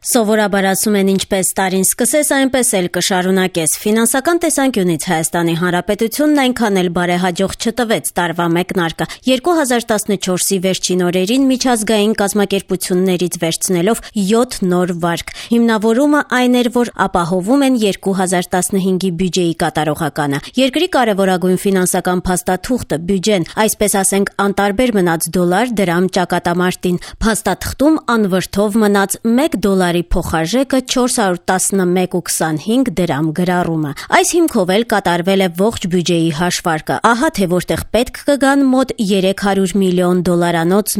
Սովորաբար ասում են ինչպես տարին սկսես, այնպես էլ կշարունակես։ Ֆինանսական տեսանկյունից Հայաստանի Հանրապետությունն այնքան էլ բարեհաջող չտվեց տարվա մեկնարկը։ 2014-ի վերջին օրերին միջազգային կազմակերպություններից վերցնելով 7 նոր վարկ։ Հիմնավորումը այն էր, որ ապահովում են 2015-ի բյուջեի կատարողականը։ Երկրի կարևորագույն ֆինանսական փաստաթուղթը բյուջեն, այսպես ասենք, անտարբեր մնաց դոլար, դրամ ճակատամարտին։ Փաստաթղթում անվրդով մնաց $1 փոխարժեքը 411.25 դրամ գրառումը։ Այս հիմքով էլ կատարվել է ողջ բյուջեի հաշվարկը։ Ահա թե որտեղ պետք կգան մոտ $300 միլիոն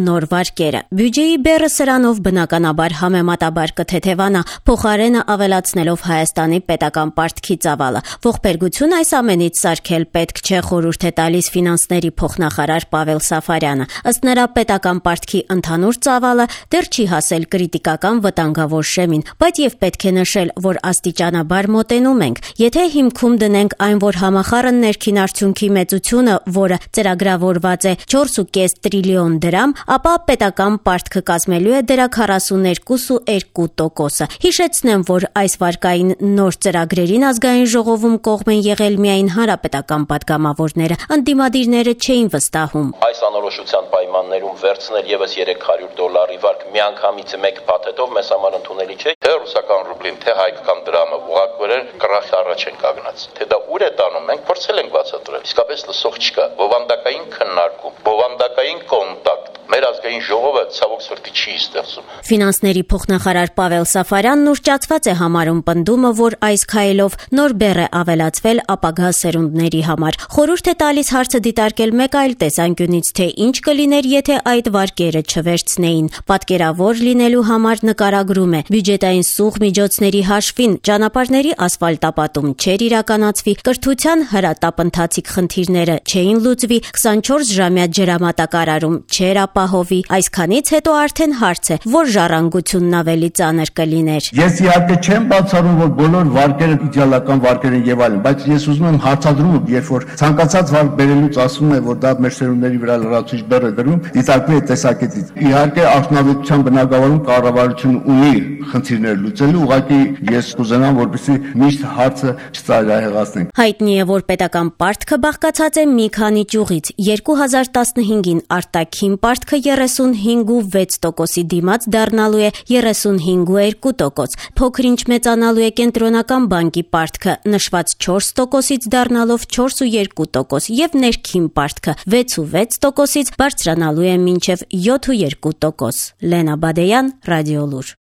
նոր վարկերը։ Բյուջեի բեռը սրանով բնականաբար համեմատաբար կթեթևանա, փոխարենը ավելացնելով Հայաստանի պետական պարտքի ծավալը։ Ողբերգություն այս ամենից սարքել պետք չէ, խորհուրդ է տալիս ֆինանսների փոխնախարար Պավել Սաֆարյանը։ Ըստ նրա, պետական պարտքի ընդհանուր ծավալը դեռ չի հասել կրիտիկական վտանգավոր շեմին, բայց եւ պետք է նշել, որ աստիճանաբար մոտենում ենք։ Եթե հիմքում դնենք այն, որ համախառն ներքին արդյունքի մեծությունը, որը ծրագրավորված է 4.5 տրիլիոն դրամ, ապա պետական պարտքը կազմելու է դրա 42.2%-ը։ Հիշեցնեմ, որ այս վարկային նոր ծրագրերին ազգային ժողովում կողմ են եղել միայն հանրապետական падգամավորները, ընդդիմադիրները չէին վստահում։ Այս անորոշության պայմաններում վերցնել եւս $300 վարկ միանգամից մեկ փաթեթով մեզ համար ընդունելի չէ։ Թե ռուսական ռուբլին, թե հայկական դրամը ուղղակի կրախ առաջ են կանգնած։ Թե դա ուր է տանում, մենք փորձել ենք բացատրել։ Իսկապես լսող չկա։ Բովանդակային քննարկում, բովանդակային կոնտակտ մեր ազգային ժողովը ցավոք սրտի չի ստեղծում։ Ֆինանսների փոխնախարար Պավել Սաֆարյանն ուռճացված է համարում պնդումը, որ այս քայլով նոր բեռ է ավելացվել ապագա սերունդների համար։ Խորհուրդ է տալիս հարցը դիտարկել մեկ այլ տեսանկյունից, թե ինչ կլիներ, եթե այդ վարկերը չվերցնեին։ Պատկերավոր լինելու համար նկարագրում է. բյուջետային սուղ միջոցների հաշվին ճանապարհների ասֆալտապատում չէր իրականացվի, կրթության հրատապ ընթացիկ խնդիրները չէին լուծվի, 24-ժամյա ջրամատակարարում չէր ապահովի։ Այսքանից հետո արդեն հարց է, որ ժառանգությունն ավելի ծանր կլիներ։ Ես իհարկե չեմ բացառում, որ բոլոր վարկերը իդեալական վարկեր են եւ այլն, բայց ես ուզում եմ հարցադրումը, երբ որ ցանկացած վարկ բերելուց ասում է, որ դա մեր սերունդների վրա լրացուցիչ բեռ է դրում, դիտարկվում է տեսակետից։ Իհարկե արդյունավետության բնագավառում կառավարությունը ունի խնդիրներ լուծելու, ուղղակի ես կուզենամ, որպեսզի միշտ հարցը չծայրահեղացնենք։ Հայտնի է, որ պետական պարտքը բաղկացած է մի քանի ճյուղից։ 2015-ին արտաքին պարտքը 35.6%-ի դիմաց դառնալու է 35.2%, փոքր-ինչ մեծանալու է կենտրոնական բանկի պարտքը, նշված 4%-ից դառնալով 4.2% եւ ներքին պարտքը 6.6%-ից բարձրանալու է մինչեւ 7.2%։ Լենա Բադեյան, Ռադիոլուր։